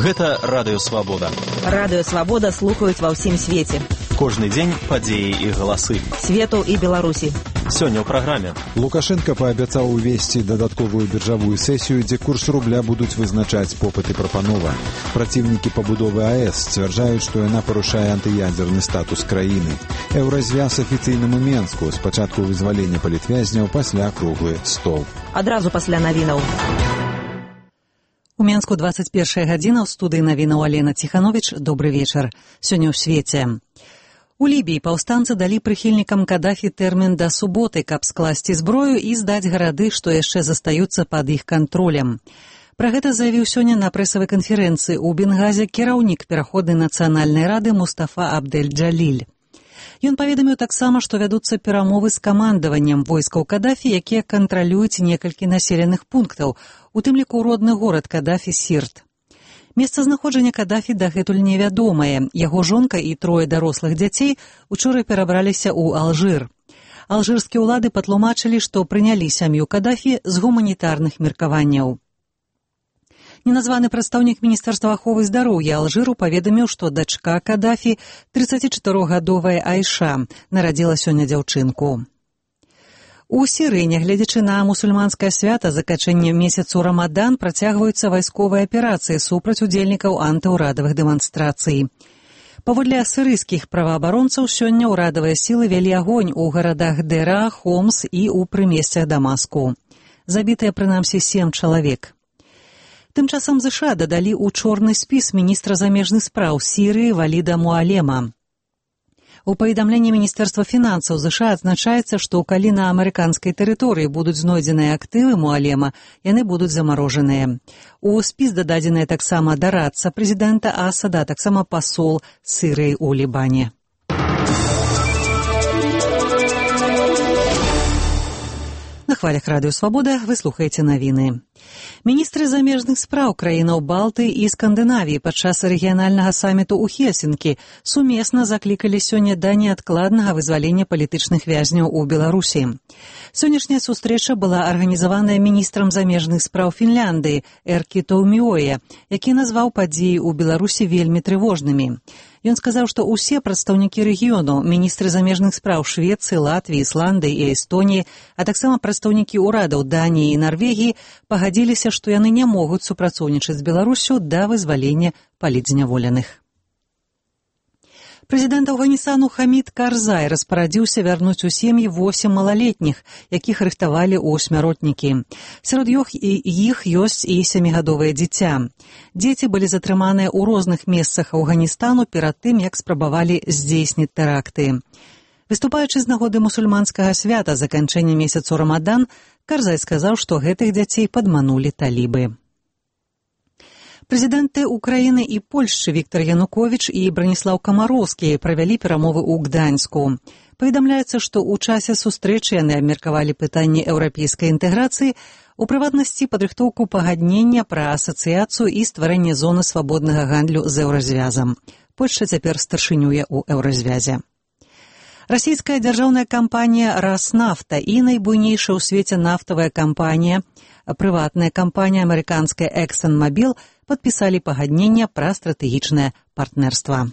Гэта Радыё Свабода. Радыё Свабода слухаюць ва ўсім свеце. Кожны дзень падзеі і галасы. Свету і Беларусі. Сёння ў праграме. Лукашенко паабяцаў увесці дадатковую біржавую сесію, дзе курс рубля будуць вызначаць попыт і прапанова. Праціўнікі пабудовы АЭС сцвярджаюць, што яна парушае антыядзерны статус краіны. Еўразвяз афіцыйным у Менску. Спачатку вызвалення палітвязняў, пасля круглы стол. Адразу пасля навінаў. У Менску 21 гадзіна, ў студыі навінаў Алена Ціхановіч. Добры вечар. Сёння ў свеце. У Лібіі паўстанцы далі прыхільнікам Кадафі тэрмін да суботы, каб скласці зброю і здаць гарады, што яшчэ застаюцца пад іх кантролем. Пра гэта заявіў сёння на прэсавай канферэнцыі ў Бенгазе кіраўнік пераходнай нацыянальнай рады Мустафа Абдель-Джаліль. Ён паведаміў таксама, што вядуцца перамовы з камандаваннем войскаў Кадафі, якія кантралююць некалькі населеных пунктаў, у тым ліку родны горад Кадафі Сірт. Месцазнаходжанне Кадафі дагэтуль невядомае. Яго жонка і трое дарослых дзяцей учора перабраліся ў Алжыр. Алжырскія ўлады патлумачылі, што прынялі сям'ю Кадафі з гуманітарных меркаванняў. Неназваны прадстаўнік Міністэрства аховы здароўя Алжыру паведаміў, што дачка Кадафі, 34-гадовая Айша, нарадзіла сёння дзяўчынку. У Сірыі, нягледзячы на мусульманскае свята заканчэння месяцу Рамадан, працягваюцца вайсковыя аперацыі супраць удзельнікаў антыўрадавых дэманстрацый. Паводле сірыйскіх праваабаронцаў, сёння ўрадавыя сілы вялі агонь у гарадах Дэра, Хомс і ў прымесцях Дамаску. Забітыя прынамсі 7 чалавек. Тым часам ЗША дадалі ў чорны спіс міністра замежных спраў Сірыі Валіда Муалема. У паведамленні Міністэрства фінансаў ЗША адзначаецца, што калі на амерыканскай тэрыторыі будуць знойдзеныя актывы Муалема, яны будуць замарожаныя. У спіс дададзеная таксама дарадца прэзідэнта Асада, таксама пасол Сірыі ў Лібане. На хвалях Радыё Свабода вы слухаеце навіны. Міністры замежных спраў краінаў Балты і Скандынавіі падчас рэгіянальнага саміту ў Хельсінкі сумесна заклікалі сёння да неадкладнага вызвалення палітычных вязняў у Беларусі. Сённяшняя сустрэча была арганізаваная міністрам замежных спраў Фінляндыі Эркі Тауміоя, які назваў падзеі ў Беларусі вельмі трывожнымі. Ён сказаў, што ўсе прадстаўнікі рэгіёну, міністры замежных спраў Швецыі, Латвіі, Ісландыі і Эстоніі, а таксама прадстаўнікі ўрадаў Даніі і Нарвегіі пагадзіліся, што яны не могуць супрацоўнічаць з Беларусю да вызвалення палітзняволеных. Прэзідэнт Афганістану Хамід Карзай распарадзіўся вярнуць у сем'і 8 малалетніх, якіх рыхтавалі ў смяротнікі. Сярод іх ёсць і 7гадовае дзіця. Дзеці былі затрыманыя ў розных месцах Афганістану перад тым, як спрабавалі здзейсніць тэракты. Выступаючы з нагоды мусульманскага свята заканчэння месяцу Рамадан, Карзай сказаў, што гэтых дзяцей падманулі талібы. Прэзідэнты Украіны і Польшчы Віктар Януковіч і Браніслаў Камароўскі правялі перамовы ў Гданьску. Паведамляецца, што ў часе сустрэчы яны абмеркавалі пытанні еўрапейскай інтэграцыі, у прыватнасці падрыхтоўку пагаднення пра асацыяцыю і стварэнне зоны свабоднага гандлю з еўразвязам. Польшча цяпер старшынюе ў еўразвязе. Расійская дзяржаўная кампанія «Раснафта» і найбуйнейшая ў свеце нафтавая кампанія, прыватная кампанія амерыканская «Эксон Мобіл» падпісалі пагаднення пра стратэгічнае партнерства.